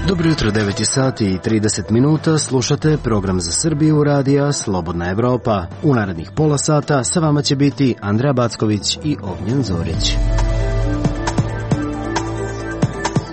Dobro jutro, 9 sati i 30 minuta, slušate program za Srbiju radija Slobodna Evropa. U narednih pola sata sa vama će biti Andreja Backović i Ognjen Zorić.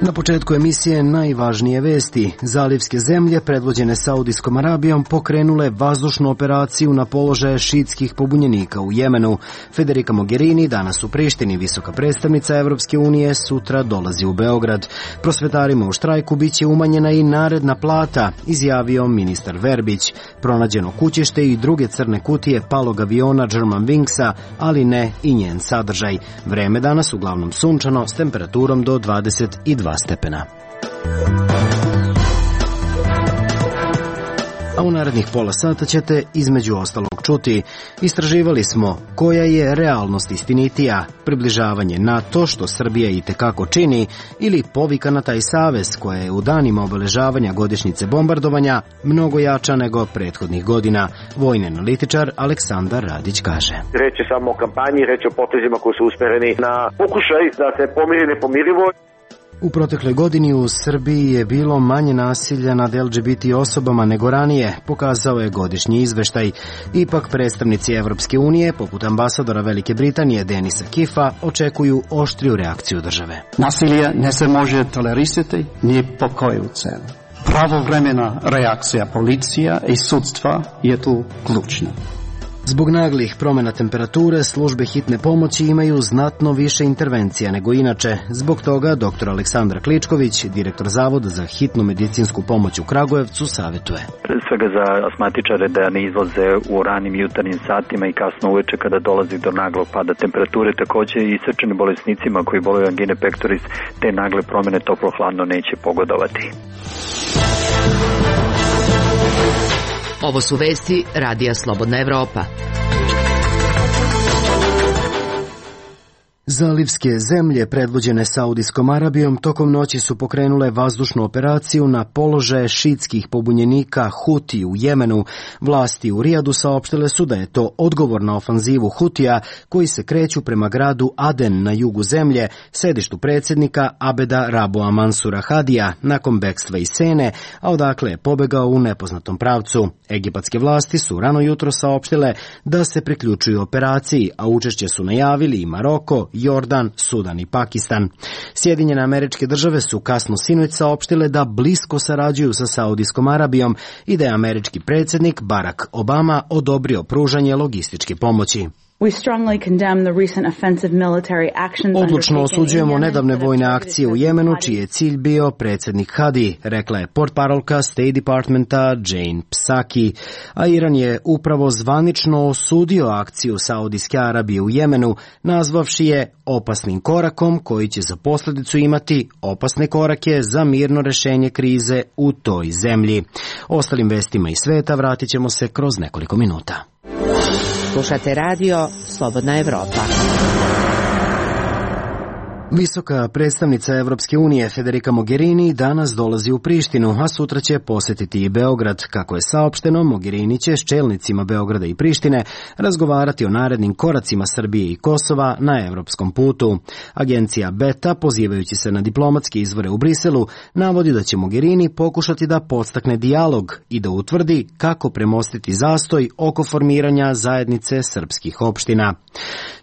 Na početku emisije najvažnije vesti. Zalivske zemlje, predvođene Saudijskom Arabijom, pokrenule vazdušnu operaciju na položaje šiitskih pobunjenika u Jemenu. Federica Mogherini danas u Prištini, visoka predstavnica Evropske unije, sutra dolazi u Beograd. Prosvetarima u štrajku biće umanjena i naredna plata, izjavio ministar Verbić. Pronađeno kućište i druge crne kutije palog aviona Germanwingsa, ali ne i njen sadržaj. Vreme danas uglavnom sunčano s temperaturom do 22 stepena. A u narednih pola sata ćete između ostalog čuti: istraživali smo koja je realnost istinitija, približavanje NATO što Srbija itekako čini, ili povika na taj savez koja je u danima obeležavanja godišnjice bombardovanja mnogo jača nego prethodnih godina. Vojni analitičar Aleksandar Radić kaže: reč je samo o kampanji, reč je o potezima koji su usmereni na pokušaj da se pomiri nepomirivo. U protekloj godini u Srbiji je bilo manje nasilja nad LGBT osobama nego ranije, pokazao je godišnji izveštaj. Ipak predstavnici Evropske unije, poput ambasadora Velike Britanije Denisa Kifa, očekuju oštriju reakciju države. Nasilje ne se može tolerisati ni po koju cenu. Pravovremena reakcija policija i sudstva je tu ključna. Zbog naglih promjena temperature, službe hitne pomoći imaju znatno više intervencija nego inače. Zbog toga dr. Aleksandar Kličković, direktor Zavoda za hitnu medicinsku pomoć u Kragujevcu, savjetuje: svega za asmatičare da ne izlaze u ranim jutarnjim satima i kasno uveče kada dolazi do naglog pada temperature. Takođe i srčanim bolesnicima koji boluju angine pectoris te nagle promjene toplo-hladno neće pogodovati. Ovo su vesti radija Slobodna Evropa. Zalivske zemlje, predvođene Saudijskom Arabijom, tokom noći su pokrenule vazdušnu operaciju na položaje šiitskih pobunjenika Huti u Jemenu. Vlasti u Rijadu saopštile su da je to odgovor na ofanzivu Hutija koji se kreću prema gradu Aden na jugu zemlje, sedištu predsjednika Abeda Raboa Mansura Hadija, nakon bekstva iz Sene, a odakle je pobegao u nepoznatom pravcu. Egipatske vlasti su rano jutro saopštile da se priključuju operaciji, a učešće su najavili i Maroko, Jordan, Sudan i Pakistan. Sjedinjene Američke Države su kasno sinoć saopštile da blisko sarađuju sa Saudijskom Arabijom i da je američki predsjednik Barack Obama odobrio pružanje logističke pomoći. Odlučno osuđujemo nedavne vojne akcije u Jemenu, čiji je cilj bio predsjednik Hadi, rekla je portparolka State Departmenta Jane Psaki. A Iran je upravo zvanično osudio akciju Saudijske Arabije u Jemenu, nazvavši je opasnim korakom koji će za posljedicu imati opasne korake za mirno rešenje krize u toj zemlji. Ostalim vestima iz sveta vratit ćemo se kroz nekoliko minuta. Slušate radio Slobodna Evropa. Visoka predstavnica Evropske unije Federica Mogherini danas dolazi u Prištinu, a sutra će posjetiti i Beograd. Kako je saopšteno, Mogherini će s čelnicima Beograda i Prištine razgovarati o narednim koracima Srbije i Kosova na evropskom putu. Agencija Beta, pozivajući se na diplomatske izvore u Briselu, navodi da će Mogherini pokušati da podstakne dijalog i da utvrdi kako premostiti zastoj oko formiranja zajednice srpskih opština.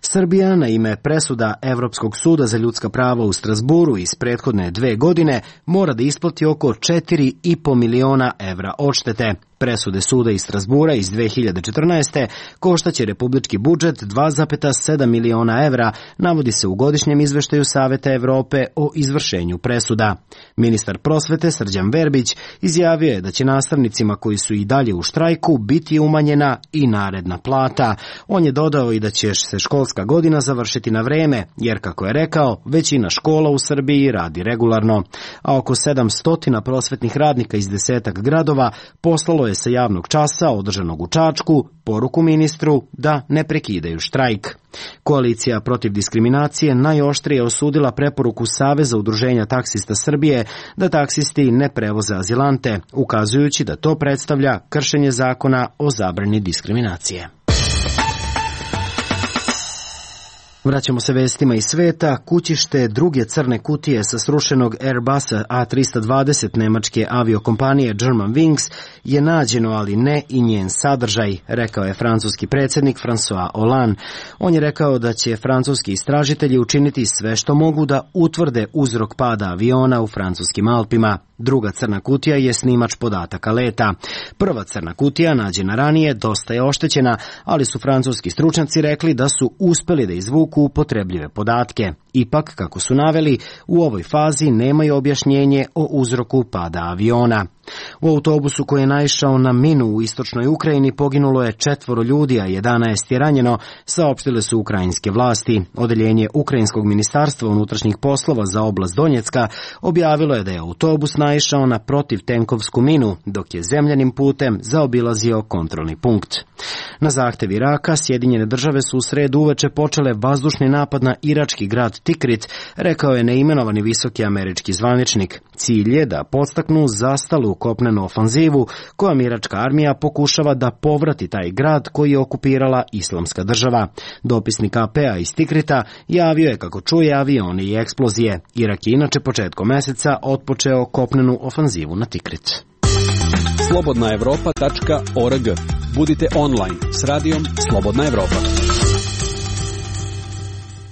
Srbija na ime presuda Evropskog suda za ljudska prava u Strasburu iz prethodne 2 godine mora da isplati oko 4,5 miliona evra odštete. Presude suda iz Strasbura iz 2014. koštaće republički budžet 2,7 miliona evra, navodi se u godišnjem izveštaju Saveta Evrope o izvršenju presuda. Ministar prosvete Srđan Verbić izjavio je da će nastavnicima koji su i dalje u štrajku biti umanjena i naredna plata. On je dodao i da će se školska godina završiti na vreme, jer kako je rekao, većina škola u Srbiji radi regularno. A oko 700 prosvetnih radnika iz 10 gradova poslalo je sa javnog časa održanog u Čačku poruku ministru da ne prekidaju štrajk. Koalicija protiv diskriminacije najoštrije osudila preporuku Saveza udruženja taksista Srbije da taksisti ne prevoze azilante, ukazujući da to predstavlja kršenje zakona o zabrani diskriminacije. Vraćamo se vestima iz sveta. Kućište druge crne kutije sa srušenog Airbusa A320 nemačke aviokompanije Germanwings je nađeno, ali ne i njen sadržaj, rekao je francuski predsjednik François Hollande. On je rekao da će francuski istražitelji učiniti sve što mogu da utvrde uzrok pada aviona u francuskim Alpima. Druga crna kutija je snimač podataka leta. Prva crna kutija, nađena ranije, dosta je oštećena, ali su francuski stručnjaci rekli da su uspeli da izvuku upotrebljive podatke. Ipak, kako su naveli, u ovoj fazi nemaju objašnjenje o uzroku pada aviona. U autobusu koji je naišao na minu u istočnoj Ukrajini poginulo je 4 ljudi, a 11 je ranjeno, saopštile su ukrajinske vlasti. Odeljenje Ukrajinskog ministarstva unutrašnjih poslova za oblast Donjecka objavilo je da je autobus naišao na protivtenkovsku minu, dok je zemljanim putem zaobilazio kontrolni punkt. Na zahtev Iraka, Sjedinjene države su u sredu uveče počele vazdušni napad na irački grad Tikrit, rekao je neimenovani visoki američki zvaničnik. Cilj je da podstaknu zastalu kopnenu ofanzivu kojom iračka armija pokušava da povrati taj grad koji je okupirala Islamska država. Dopisnik AP-a iz Tikrita javio je kako čuje avione i eksplozije. Irak je inače početkom meseca otpočeo kopnenu ofanzivu na Tikrit. Slobodnaevropa.org. Budite online s radijom Slobodna Evropa.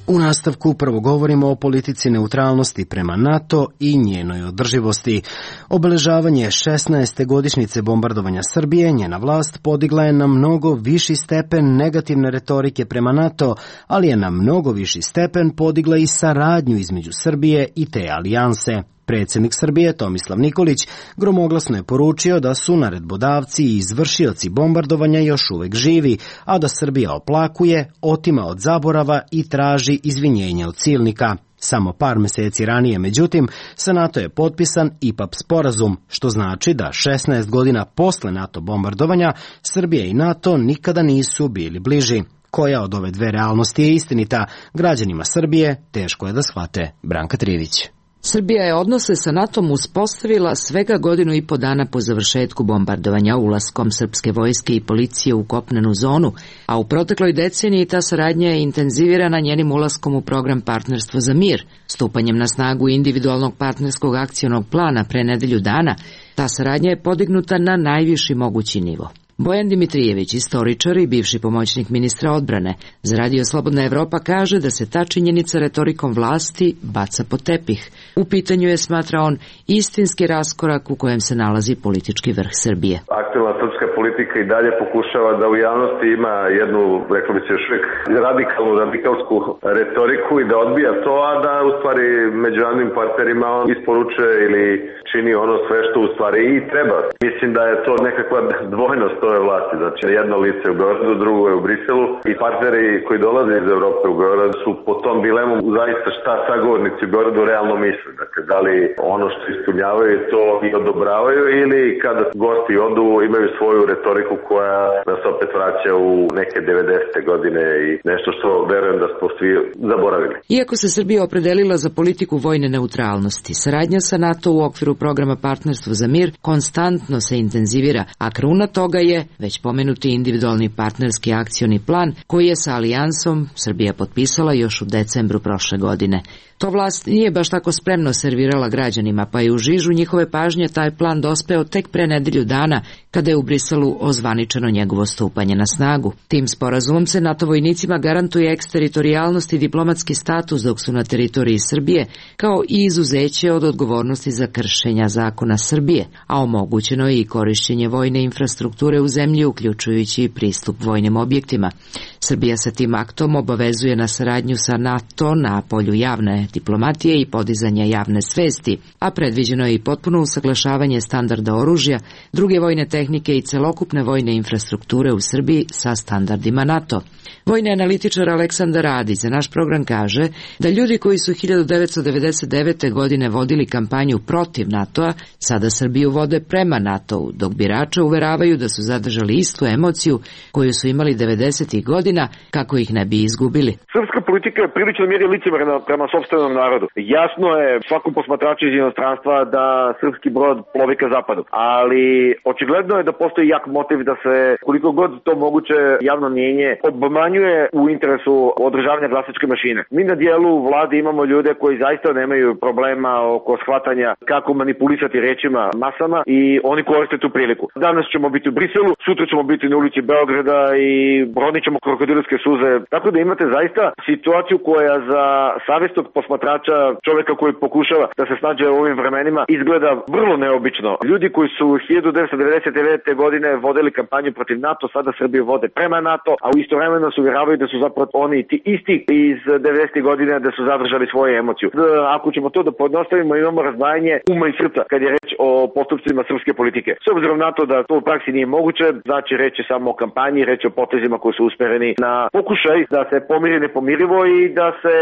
U nastavku prvo govorimo o politici neutralnosti prema NATO i njenoj održivosti. Obeležavanje 16. godišnjice bombardovanja Srbije, njena vlast podigla je na mnogo viši stepen negativne retorike prema NATO, ali je na mnogo viši stepen podigla i saradnju između Srbije i te alijanse. Predsjednik Srbije Tomislav Nikolić gromoglasno je poručio da su naredbodavci i izvršioci bombardovanja još uvek živi, a da Srbija oplakuje, otima od zaborava i traži izvinjenje od silnika. Samo par meseci ranije, međutim, sa NATO je potpisan IPAP sporazum, što znači da 16 godina posle NATO bombardovanja Srbija i NATO nikada nisu bili bliži. Koja od ove dve realnosti je istinita? Građanima Srbije teško je da shvate. Branka Trivić. Srbija je odnose sa NATO-om uspostavila svega 1.5 godina dana po završetku bombardovanja, ulaskom srpske vojske i policije u kopnenu zonu, a u protekloj deceniji ta saradnja je intenzivirana njenim ulaskom u program Partnerstvo za mir. Stupanjem na snagu individualnog partnerskog akcionog plana pre nedelju dana, ta saradnja je podignuta na najviši mogući nivo. Bojan Dimitrijević, istoričar i bivši pomoćnik ministra odbrane, za Radio Slobodna Evropa kaže da se ta činjenica retorikom vlasti baca pod tepih. U pitanju je, smatra on, istinski raskorak u kojem se nalazi politički vrh Srbije. Aktualna srpska politika i dalje pokušava da u javnosti ima jednu, rekao bi se još uvijek, radikalsku retoriku i da odbija to, a da u stvari među javnim partnerima on isporučuje ili čini ono sve što u stvari i treba. Mislim da je to nekakva dvojnost ove vlasti. Znači, jedno lice u Beogradu, drugo je u Briselu i partneri koji dolaze iz Evrope u Beograd su po tom dilemom zaista šta sagovornici u Beogradu realno misle. Dakle, da li ono što ispunjavaju to i odobravaju ili kada gosti odu imaju svoju retoriku koja nas opet vraća u neke 90. godine i nešto što verujem da smo svi zaboravili. Iako se Srbija opredelila za politiku vojne neutralnosti, saradnja sa NATO u okviru programa Partnerstvo za mir konstantno se intenzivira, a kruna toga je već pomenuti individualni partnerski akcioni plan koji je sa alijansom Srbija potpisala još u decembru prošle godine. To vlast nije baš tako spremno servirala građanima, pa je u žižu njihove pažnje taj plan dospeo tek pre nedelju dana, kada je u Briselu ozvaničeno njegovo stupanje na snagu. Tim sporazumom se NATO vojnicima garantuje eksteritorijalnost i diplomatski status dok su na teritoriji Srbije, kao i izuzeće od odgovornosti za kršenja zakona Srbije, a omogućeno je i korišćenje vojne infrastrukture u zemlji, uključujući i pristup vojnim objektima. Srbija sa tim aktom obavezuje na saradnju sa NATO na polju javne diplomatije i podizanja javne svesti, a predviđeno je i potpuno usaglašavanje standarda oružja, druge vojne tehnike i celokupne vojne infrastrukture u Srbiji sa standardima NATO. Vojni analitičar Aleksandar Radić za naš program kaže da ljudi koji su 1999. godine vodili kampanju protiv NATO-a, sada Srbiju vode prema NATO-u, dok birače uveravaju da su zadržali istu emociju koju su imali 90. godina godina kako ih ne bi izgubili. Srpska politika je prilično mjeri licemerna prema sopstvenom narodu. Jasno je svakom posmatraču iz inostranstva da srpski brod plovi ka zapadu, ali očigledno je da postoji jak motiv da se koliko god to moguće javno mnjenje obmanjuje u interesu održavanja glasačke mašine. Mi na dijelu vlade imamo ljude koji zaista nemaju problema oko shvatanja kako manipulisati rečima masama i oni koriste tu priliku. Danas ćemo biti u Briselu, sutra ćemo biti na ulici Beograda i ronit ćemo krokodilske suze. Tako da imate zaista situaciju koja za savjesnog posmatrača, čovjeka koji pokušava da se snađe u ovim vremenima, izgleda vrlo neobično. Ljudi koji su 1999. godine vodili kampanju protiv NATO, sada Srbiju vode prema NATO, a u istovremeno se uvjeravaju da su zapravo oni ti isti iz 90. godine da su zadržali svoju emociju. Ako ćemo to da podnostavimo, imamo razdvajanje uma i srca kad je reč o postupcima srpske politike. S obzirom na to da to u praksi nije moguće, znači reč je samo o kampanji, reč je o potezima koji su usmereni na pokušaj da se pomiri nepomirivo i da se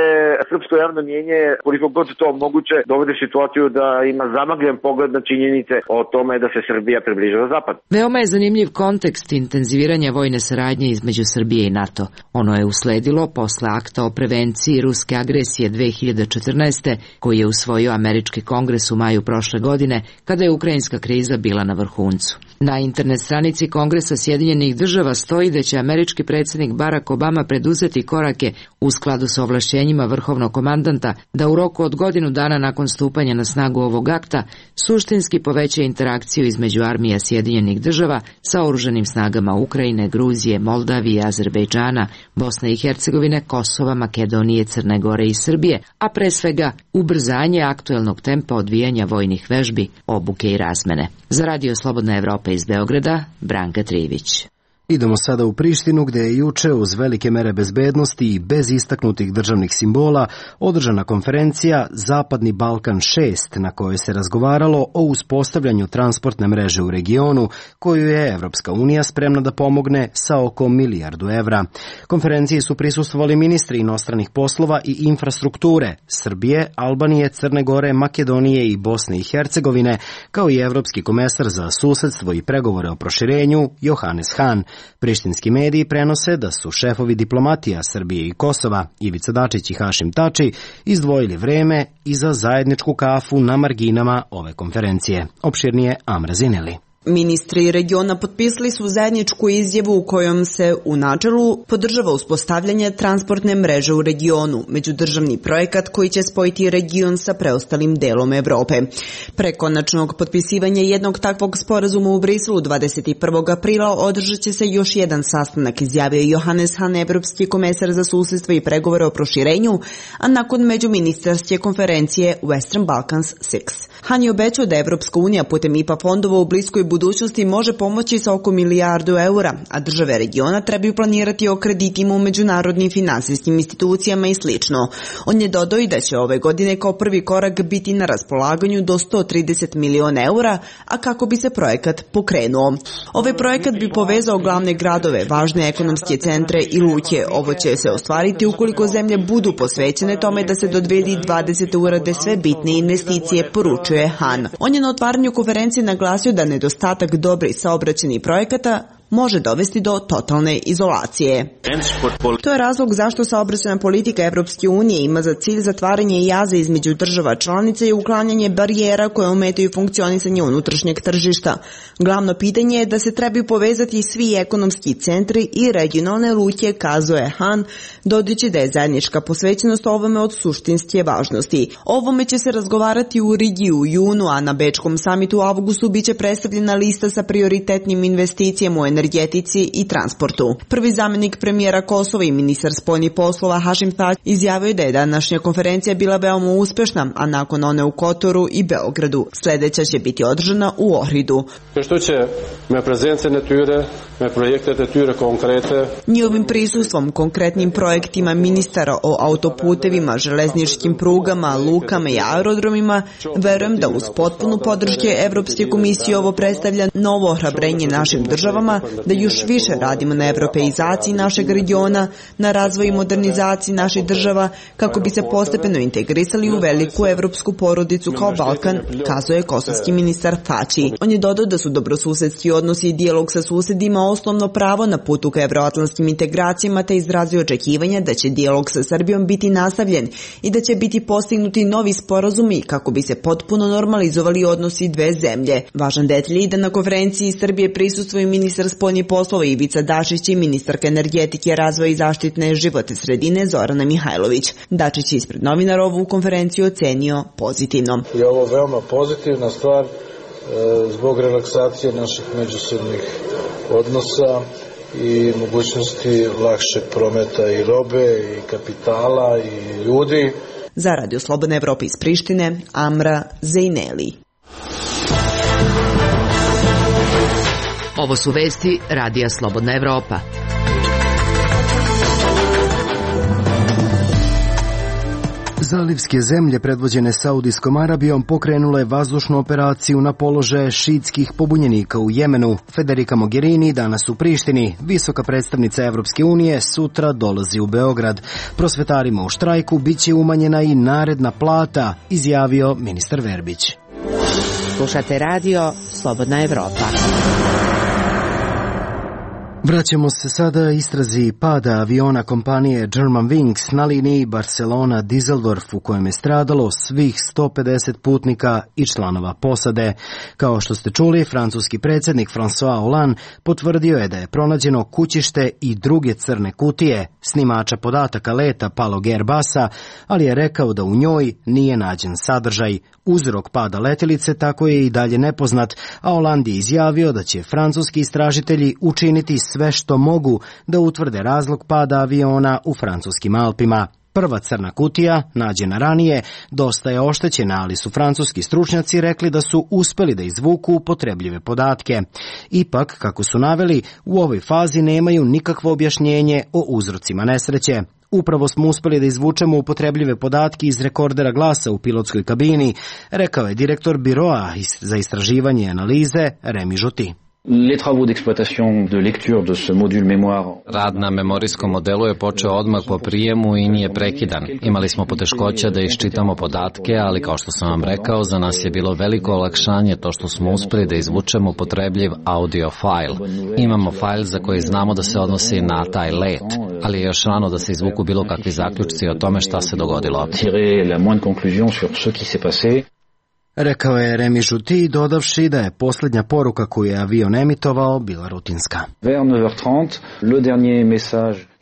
srpsko javno mnjenje, koliko god to moguće, dovede u situaciju da ima zamagljen pogled na činjenice o tome da se Srbija približava na zapad. Veoma je zanimljiv kontekst intenziviranja vojne saradnje između Srbije i NATO. Ono je usledilo posle akta o prevenciji ruske agresije 2014. koji je usvojio američki kongres u maju prošle godine, kada je ukrajinska kriza bila na vrhuncu. Na internet stranici Kongresa Sjedinjenih država stoji da će američki predsjednik Barack Obama preduzeti korake u skladu sa ovlašćenjima vrhovnog komandanta da u roku od godinu dana nakon stupanja na snagu ovog akta suštinski poveća interakciju između armija Sjedinjenih država sa oružanim snagama Ukrajine, Gruzije, Moldavije, Azerbejdžana, Bosne i Hercegovine, Kosova, Makedonije, Crne Gore i Srbije, a pre svega ubrzanje aktuelnog tempa odvijanja vojnih vežbi, obuke i razmene. Za Radio Slobodna Evropa iz Beograda, Branka Trivić. Idemo sada u Prištinu, gde je juče uz velike mere bezbednosti i bez istaknutih državnih simbola održana konferencija Zapadni Balkan 6, na kojoj se razgovaralo o uspostavljanju transportne mreže u regionu, koju je Evropska unija spremna da pomogne sa oko $1 milijardu. Konferenciji su prisustvovali ministri inostranih poslova i infrastrukture Srbije, Albanije, Crne Gore, Makedonije i Bosne i Hercegovine, kao i evropski komesar za susedstvo i pregovore o proširenju Johannes Hahn. Prištinski mediji prenose da su šefovi diplomatija Srbije i Kosova, Ivica Dačić i Hašim Tači, izdvojili vreme i za zajedničku kafu na marginama ove konferencije. Opširnije Amra Zineli. Ministri regiona potpisali su zajedničku izjavu u kojom se u načelu podržava uspostavljanje transportne mreže u regionu, međudržavni projekat koji će spojiti region sa preostalim delom Evrope. Pre konačnog potpisivanja jednog takvog sporazuma u Briselu 21. aprila održat će se još jedan sastanak, izjavio Johannes Hahn, evropski komesar za susedstvo i pregovore o proširenju, a nakon međuministarske konferencije Western Balkans 6. Hahn je obećao da Evropska unija putem IPA fondova u bliskoj budućnosti može pomoći sa oko $1 milijardu, a države regiona trebaju planirati o kreditima u međunarodnim finansijskim institucijama i slično. On je dodao i da će ove godine kao prvi korak biti na raspolaganju do €130 miliona, a kako bi se projekat pokrenuo. Ovaj projekat bi povezao glavne gradove, važne ekonomske centre i luke. Ovo će se ostvariti ukoliko zemlje budu posvećene tome da se do 2020. urade sve bitne investicije, poručuje Hahn. On je na otvaranju konferencije naglasio da nedostatak dobrih saobraćajnih projekata može dovesti do totalne izolacije. To je razlog zašto saobraćajna politika Evropske unije ima za cilj zatvaranje jaza između država članica i uklanjanje barijera koje ometaju funkcionisanje unutrašnjeg tržišta. Glavno pitanje je da se trebaju povezati svi ekonomski centri i regionalne luke, kazuje Hahn, dodajući da je zajednička posvećenost ovome od suštinske važnosti. Ovome će se razgovarati u Rigi u junu, a na Bečkom samitu u avgustu biće predstavljena lista sa prioritetnim investicijama u energetici i transportu. Prvi zamenik premijera Kosova i ministar spoljnih poslova Hašim Tači izjavio da je današnja konferencija bila veoma uspešna, a nakon one u Kotoru i Beogradu. Sledeća će biti održana u Ohridu. Njihovim prisustvom, konkretnim projektima ministara o autoputevima, železničkim prugama, lukama i aerodromima, verujem da uz potpunu podrške Evropske komisije ovo predstavlja novo ohrabrenje našim državama da još više radimo na europeizaciji našeg regiona, na razvoju i modernizaciji naših država, kako bi se postepeno integrisali u veliku evropsku porodicu kao Balkan, kazao je kosovski ministar Fači. On je dodao da su dobrosusedski odnosi i dijalog sa susedima osnovno pravo na putu ka evroatlantskim integracijama, te izrazio očekivanja da će dijalog sa Srbijom biti nastavljen i da će biti postignuti novi sporazumi kako bi se potpuno normalizovali odnosi dve zemlje. Važan detalj je da na konferenciji Srbije prisustvuju ministar spoljnih poslova Ivica Dačić i ministarka energetike, razvoja i zaštitne životne sredine Zorana Mihajlović. Dačić je ispred novinara ovu konferenciju ocenio pozitivno. Je ovo veoma pozitivna stvar zbog relaksacije naših međusobnih odnosa i mogućnosti lakšeg prometa i robe i kapitala i ljudi. Za Radio Slobodna Evropa iz Prištine, Amra Zejneli. Ovo su vesti Radija Slobodna Evropa. Zalivske zemlje predvođene Saudijskom Arabijom pokrenule vazdušnu operaciju na položaje šiitskih pobunjenika u Jemenu. Federica Mogherini danas u Prištini. Visoka predstavnica Evropske unije sutra dolazi u Beograd. Prosvetarima u štrajku biće umanjena i naredna plata, izjavio ministar Verbić. Slušate radio Slobodna Evropa. Vraćamo se sada istrazi pada aviona kompanije Germanwings na liniji Barcelona-Düsseldorf u kojem je stradalo svih 150 putnika i članova posade. Kao što ste čuli, francuski predsjednik François Hollande potvrdio je da je pronađeno kućište i druge crne kutije, snimača podataka leta palog Airbusa, ali je rekao da u njoj nije nađen sadržaj. Uzrok pada letjelice tako je i dalje nepoznat, a Hollande je izjavio da će francuski istražitelji učiniti sve što mogu da utvrde razlog pada aviona u francuskim Alpima. Prva crna kutija, nađena ranije, dosta je oštećena, ali su francuski stručnjaci rekli da su uspeli da izvuku upotrebljive podatke. Ipak, kako su naveli, u ovoj fazi nemaju nikakvo objašnjenje o uzrocima nesreće. Upravo smo uspeli da izvučemo upotrebljive podatke iz rekordera glasa u pilotskoj kabini, rekao je direktor biroa za istraživanje i analize Remi Žuti. Rad na memorijskom modelu je počeo odmah po prijemu i nije prekidan. Imali smo poteškoća da iščitamo podatke, ali kao što sam vam rekao, za nas je bilo veliko olakšanje to što smo uspeli da izvučemo upotrebljiv audio file. Imamo file za koji znamo da se odnosi na taj let, ali je još rano da se izvuku bilo kakvi zaključci o tome šta se dogodilo. Rekao je Remi Žuti, dodavši da je posljednja poruka koju je avion emitovao bila rutinska.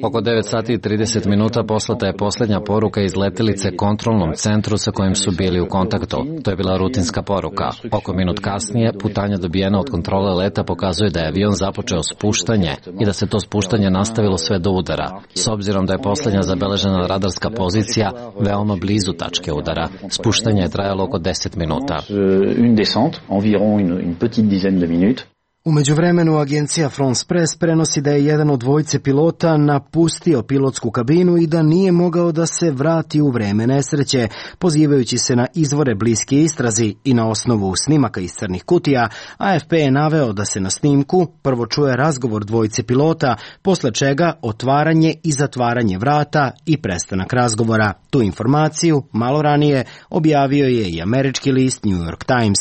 Oko 9 sati i 30 minuta poslata je posljednja poruka iz letjelice kontrolnom centru sa kojim su bili u kontaktu. To je bila rutinska poruka. Oko minut kasnije, putanja dobijena od kontrole leta pokazuje da je avion započeo spuštanje i da se to spuštanje nastavilo sve do udara. S obzirom da je posljednja zabeležena radarska pozicija veoma blizu tačke udara, spuštanje je trajalo oko 10 minuta. U međuvremenu agencija France Press prenosi da je jedan od dvojice pilota napustio pilotsku kabinu i da nije mogao da se vrati u vreme nesreće, pozivajući se na izvore bliske istrazi i na osnovu snimaka iz crnih kutija. AFP je naveo da se na snimku prvo čuje razgovor dvojice pilota, posle čega otvaranje i zatvaranje vrata i prestanak razgovora. Tu informaciju malo ranije objavio je i američki list New York Times.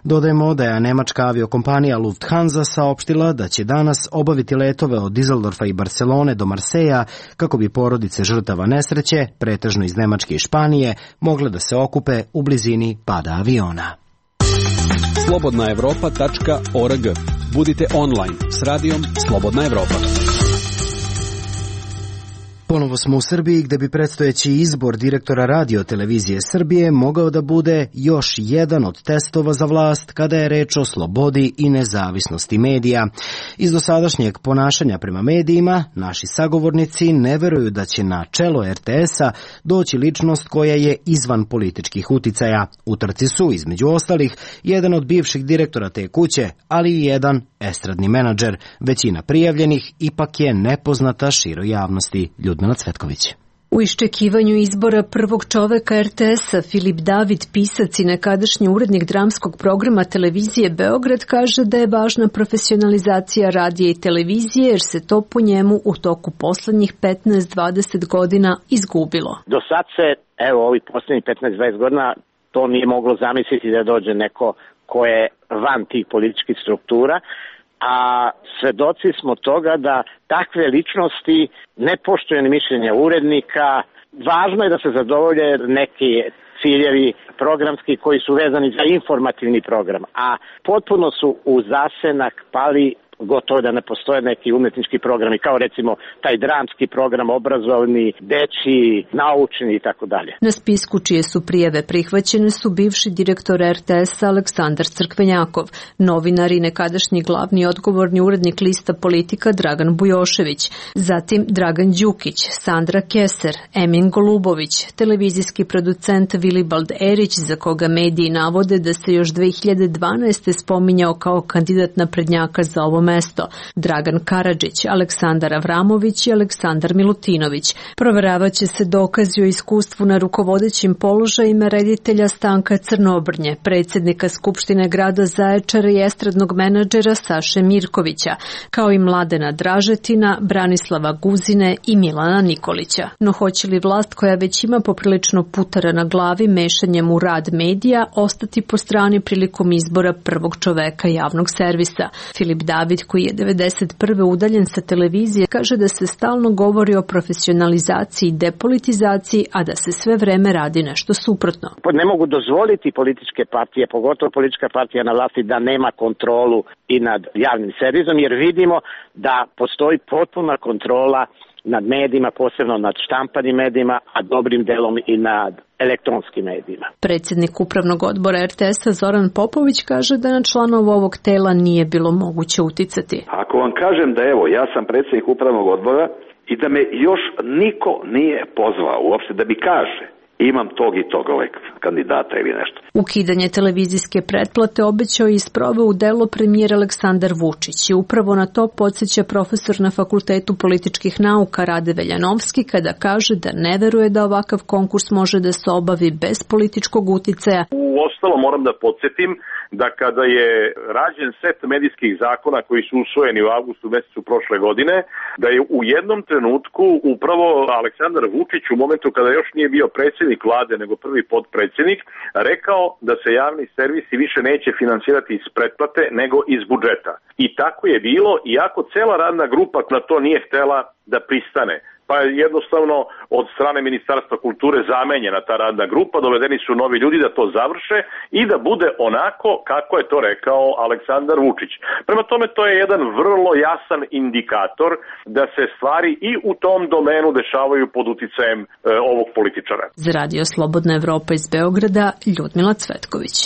Dodajemo da je nemačka aviokompanija Lufthansa saopštila da će danas obaviti letove od Düsseldorfa i Barcelone do Marseja kako bi porodice žrtava nesreće, pretežno iz Nemačke i Španije, mogle da se okupe u blizini pada aviona. slobodnaevropa.org. Budite online s radijom Slobodna Evropa. Ponovo smo u Srbiji gde bi predstojeći izbor direktora Radio televizije Srbije mogao da bude još jedan od testova za vlast kada je reč o slobodi i nezavisnosti medija. Iz dosadašnjeg ponašanja prema medijima, naši sagovornici ne veruju da će na čelo RTS-a doći ličnost koja je izvan političkih uticaja. U trci su, između ostalih, jedan od bivših direktora te kuće, ali i jedan estradni menadžer. Većina prijavljenih ipak je nepoznata široj javnosti. Ljudmila Cvetković. U iščekivanju izbora prvog čoveka RTS-a, Filip David, pisac i nekadašnji urednik dramskog programa televizije Beograd, kaže da je važna profesionalizacija radija i televizije jer se to po njemu u toku poslednjih 15-20 godina izgubilo. Do sad se, ovih poslednjih 15-20 godina, to nije moglo zamisliti da dođe neko ko je van tih političkih struktura, a svedoci smo toga da takve ličnosti ne poštuju ni mišljenja urednika. Važno je da se zadovolje neki ciljevi programski koji su vezani za informativni program, a potpuno su u zasenak pali gotovo da ne postoje neki umetnički programi, kao recimo taj dramski program, obrazovni, dečiji, naučni i tako dalje. Na spisku čije su prijave prihvaćene su bivši direktor RTS-a Aleksandar Crkvenjakov, novinar i nekadašnji glavni odgovorni urednik lista Politika Dragan Bujošević, zatim Dragan Đukić, Sandra Keser, Emin Golubović, televizijski producent Vilibald Erić, za koga mediji navode da se još 2012. spominjao kao kandidat naprednjaka za ovo mesto, Dragan Karadžić, Aleksandar Avramović i Aleksandar Milutinović. Proveravaće se dokazi o iskustvu na rukovodećim položajima reditelja Stanka Crnobrnje, predsjednika Skupštine grada Zaječara i estradnog menadžera Saše Mirkovića, kao i Mladena Dražetina, Branislava Guzine i Milana Nikolića. No hoće li vlast koja već ima poprilično putara na glavi mešanjem u rad medija ostati po strani prilikom izbora prvog čoveka javnog servisa? Filip David, koji je 1991. udaljen sa televizije, kaže da se stalno govori o profesionalizaciji i depolitizaciji, a da se sve vreme radi nešto suprotno. Ne mogu dozvoliti političke partije, pogotovo politička partija na vlasti, da nema kontrolu i nad javnim servisom, jer vidimo da postoji potpuna kontrola nad medijima, posebno nad štampanim medijima, a dobrim delom i nad elektronskim medijima. Predsjednik upravnog odbora RTS-a Zoran Popović kaže da na članova ovog tela nije bilo moguće uticati. Ako vam kažem da ja sam predsjednik upravnog odbora i da me još niko nije pozvao uopšte da mi kaže imam tog i tog kandidata ili nešto. Ukidanje televizijske pretplate obećao i sproveo u delo premijer Aleksandar Vučić i upravo na to podsjeća profesor na Fakultetu političkih nauka Rade Veljanovski kada kaže da ne veruje da ovakav konkurs može da se obavi bez političkog uticaja. Uostalom moram da podsjetim da kada je rađen set medijskih zakona koji su usvojeni u avgustu mesecu prošle godine, da je u jednom trenutku upravo Aleksandar Vučić u momentu kada još nije bio predsjednik vlade nego prvi potpredsjednik rekao da se javni servisi više neće finansirati iz pretplate nego iz budžeta. I tako je bilo, iako cela radna grupa na to nije htela da pristane. Pa je jednostavno od strane Ministarstva kulture zamenjena ta radna grupa, dovedeni su novi ljudi da to završe i da bude onako kako je to rekao Aleksandar Vučić. Prema tome to je jedan vrlo jasan indikator da se stvari i u tom domenu dešavaju pod uticajem ovog političara. Za Radio Slobodna Evropa iz Beograda, Ljudmila Cvetković.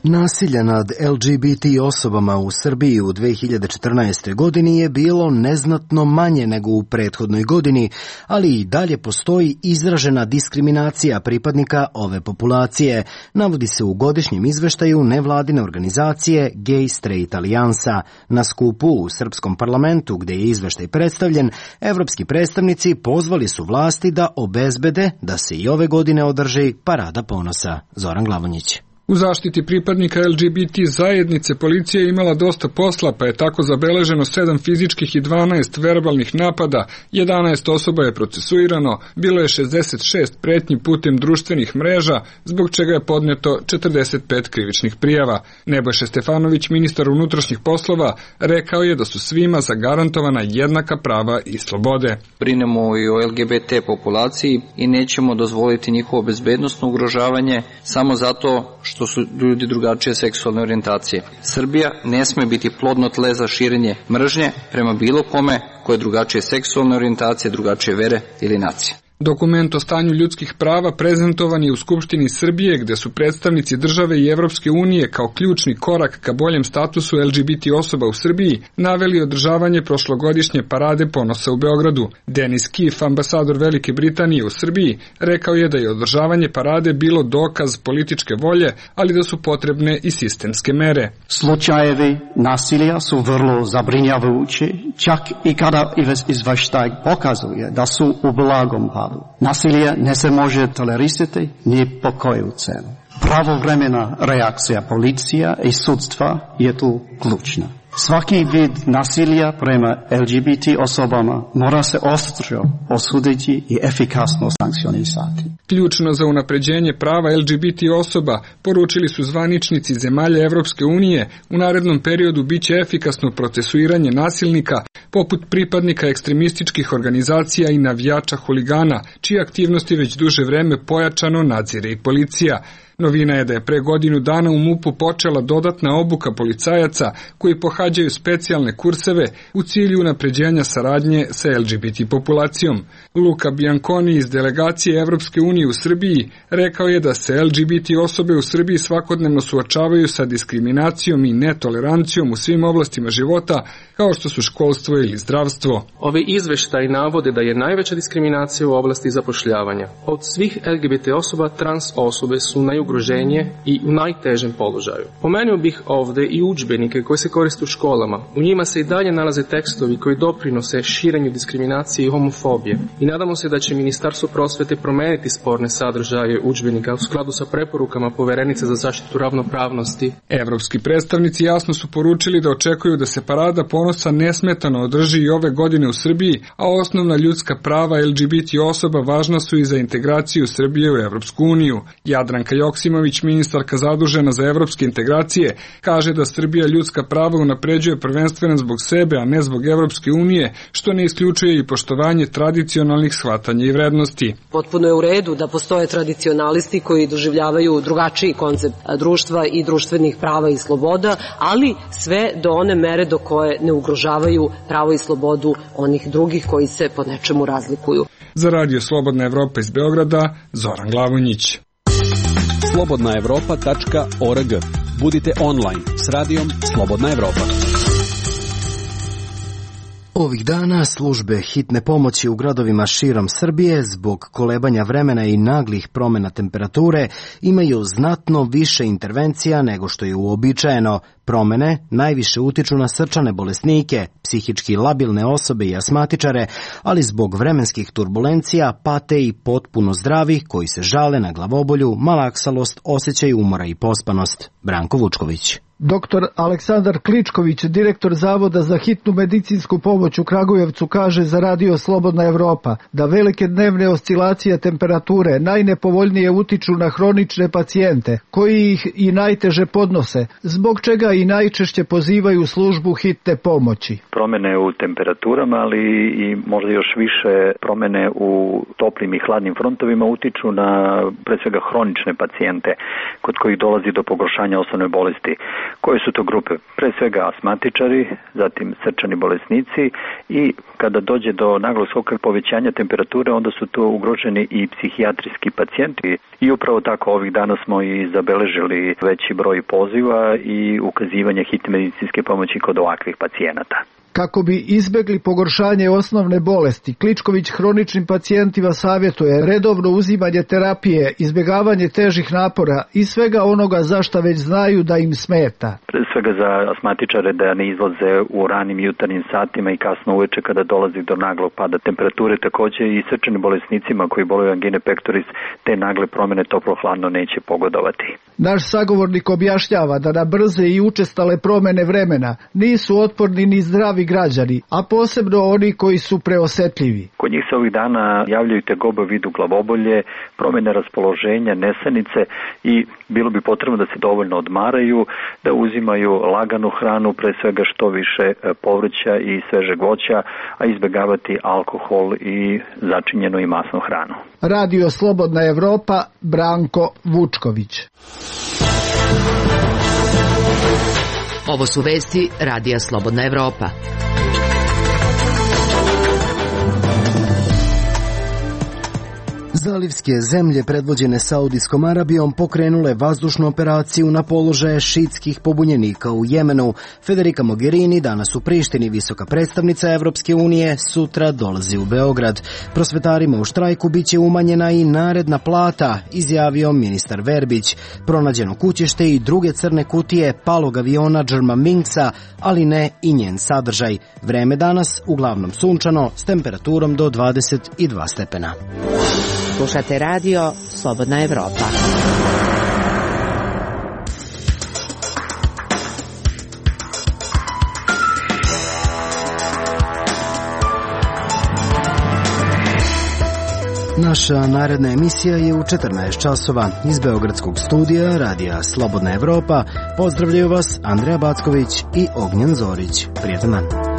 Nasilje nad LGBT osobama u Srbiji u 2014. godini je bilo neznatno manje nego u prethodnoj godini, ali i dalje postoji izražena diskriminacija pripadnika ove populacije, navodi se u godišnjem izveštaju nevladine organizacije Gay Straight Alijansa. Na skupu u Srpskom parlamentu, gde je izveštaj predstavljen, evropski predstavnici pozvali su vlasti da obezbede da se i ove godine održi Parada ponosa. Zoran Glavonjić. U zaštiti pripadnika LGBT zajednice policija je imala dosta posla, pa je tako zabeleženo 7 fizičkih i 12 verbalnih napada, 11 osoba je procesuirano, bilo je 66 pretnji putem društvenih mreža, zbog čega je podneto 45 krivičnih prijava. Nebojša Stefanović, ministar unutrašnjih poslova, rekao je da su svima zagarantovana jednaka prava i slobode. Brinemo i o LGBT populaciji i nećemo dozvoliti njihovo bezbednosno ugrožavanje samo zato što su ljudi drugačije seksualne orijentacije. Srbija ne sme biti plodno tle za širenje mržnje prema bilo kome koje je drugačije seksualne orijentacije, drugačije vere ili nacije. Dokument o stanju ljudskih prava prezentovan je u Skupštini Srbije, gde su predstavnici države i Evropske unije kao ključni korak ka boljem statusu LGBT osoba u Srbiji naveli održavanje prošlogodišnje parade ponosa u Beogradu. Denis Kif, ambasador Velike Britanije u Srbiji, rekao je da je održavanje parade bilo dokaz političke volje, ali da su potrebne i sistemske mere. Slučajevi nasilja su vrlo zabrinjavajući, čak i kada izveštaj pokazuje da su u blagom padu. Nasilje ne se može tolerisati ni po koju cenu. Pravovremena reakcija policija i sudstva je tu ključna. Svaki vid nasilja prema LGBT osobama mora se oštro osuditi i efikasno sankcionisati. Ključno za unapređenje prava LGBT osoba, poručili su zvaničnici zemalja Evropske unije, u narednom periodu biće efikasno procesuiranje nasilnika, poput pripadnika ekstremističkih organizacija i navijača huligana, čije aktivnosti već duže vreme pojačano nadzire i policija. Novina je da je pre godinu dana u MUP-u počela dodatna obuka policajaca koji pohađaju specijalne kurseve u cilju unapređenja saradnje sa LGBT populacijom. Luka Bianconi iz delegacije Evropske unije u Srbiji rekao je da se LGBT osobe u Srbiji svakodnevno suočavaju sa diskriminacijom i netolerancijom u svim oblastima života, kao što su školstvo ili zdravstvo. Ovi izveštaji navode da je najveća diskriminacija u oblasti zapošljavanja. Od svih LGBT osoba, trans osobe su najugroženije i u najtežem položaju. Pomenuo bih ovde i udžbenike koji se koriste u školama. U njima se i dalje nalaze tekstovi koji doprinose širenju diskriminacije i homofobije. I nadamo se da će Ministarstvo prosvete promeniti sporne sadržaje udžbenika u skladu sa preporukama Poverenice za zaštitu ravnopravnosti. Evropski predstavnici jasno su poručili da očekuju da se parada ponosa nesmetano održi i ove godine u Srbiji, a osnovna ljudska prava LGBT osoba važna su i za integraciju Srbije u Evropsku uniju. Jadranka Joksimović, ministarka zadužena za evropske integracije, kaže da Srbija ljudska prava unapređuje prvenstveno zbog sebe, a ne zbog Evropske unije, što ne isključuje i poštovanje tradicionalnih shvatanja i vrednosti. Potpuno je u redu da postoje tradicionalisti koji doživljavaju drugačiji koncept društva i društvenih prava i sloboda, ali sve do one mere do koje ne ugrožavaju pravo i slobodu onih drugih koji se po nečemu razlikuju. Za Radio Slobodna Evropa iz Beograda, Zoran Glavonjić. slobodnaevropa.org. Budite online s radijom Slobodna Evropa. Ovih dana službe hitne pomoći u gradovima širom Srbije zbog kolebanja vremena i naglih promjena temperature imaju znatno više intervencija nego što je uobičajeno. Promene najviše utiču na srčane bolesnike, psihički labilne osobe i asmatičare, ali zbog vremenskih turbulencija pate i potpuno zdravi koji se žale na glavobolju, malaksalost, osjećaj umora i pospanost. Branko Vučković. Dr. Aleksandar Kličković, direktor Zavoda za hitnu medicinsku pomoć u Kragujevcu, kaže za Radio Slobodna Evropa da velike dnevne oscilacije temperature najnepovoljnije utiču na hronične pacijente, koji ih i najteže podnose, zbog čega i najčešće pozivaju službu hitne pomoći. Promene u temperaturama, ali i možda još više promene u toplim i hladnim frontovima utiču na pre svega hronične pacijente kod kojih dolazi do pogoršanja osnovne bolesti. Koje su to grupe? Pre svega asmatičari, zatim srčani bolesnici i kada dođe do naglog skoka povećanja temperature, onda su to ugroženi i psihijatrijski pacijenti. I upravo tako ovih dana smo i zabeležili veći broj poziva i ukazivanja hitne medicinske pomoći kod ovakvih pacijenata. Kako bi izbegli pogoršanje osnovne bolesti, Kličković hroničnim pacijentima savjetuje redovno uzimanje terapije, izbjegavanje težih napora i svega onoga za šta već znaju da im smeta. Pre svega za asmatičare da ne izlaze u ranim jutarnjim satima i kasno uveče kada dolazi do naglog pada temperature, takođe i srčanim bolesnicima koji boluju angine pectoris, te nagle promjene toplo-hladno neće pogodovati. Naš sagovornik objašnjava da na brze i učestale promjene vremena nisu otporni ni zdravi građani, a posebno oni koji su preosetljivi. Kod njih se ovih dana javljaju tegobe u vidu glavobolje, promjene raspoloženja, nesanice i bilo bi potrebno da se dovoljno odmaraju, da uzimaju laganu hranu, pre svega što više povrća i svežeg voća, a izbjegavati alkohol i začinjenu i masnu hranu. Radio Slobodna Evropa, Branko Vučković. Ovo su vesti Radija Slobodna Evropa. Zalivske zemlje predvođene Saudijskom Arabijom pokrenule vazdušnu operaciju na položaje šitskih pobunjenika u Jemenu. Federica Mogherini danas u Prištini, visoka predstavnica Evropske unije, sutra dolazi u Beograd. Prosvetarima u štrajku biće umanjena i naredna plata, izjavio ministar Verbić. Pronađeno kućište i druge crne kutije palog aviona Germanwingsa, ali ne i njen sadržaj. Vreme danas uglavnom sunčano s temperaturom do 22 stepena. Slušate radio Slobodna Evropa. Naša naredna emisija je u 14 časova. Iz beogradskog studija radija Slobodna Evropa pozdravljaju vas Andreja Backović i Ognjen Zorić. Prijatan dan.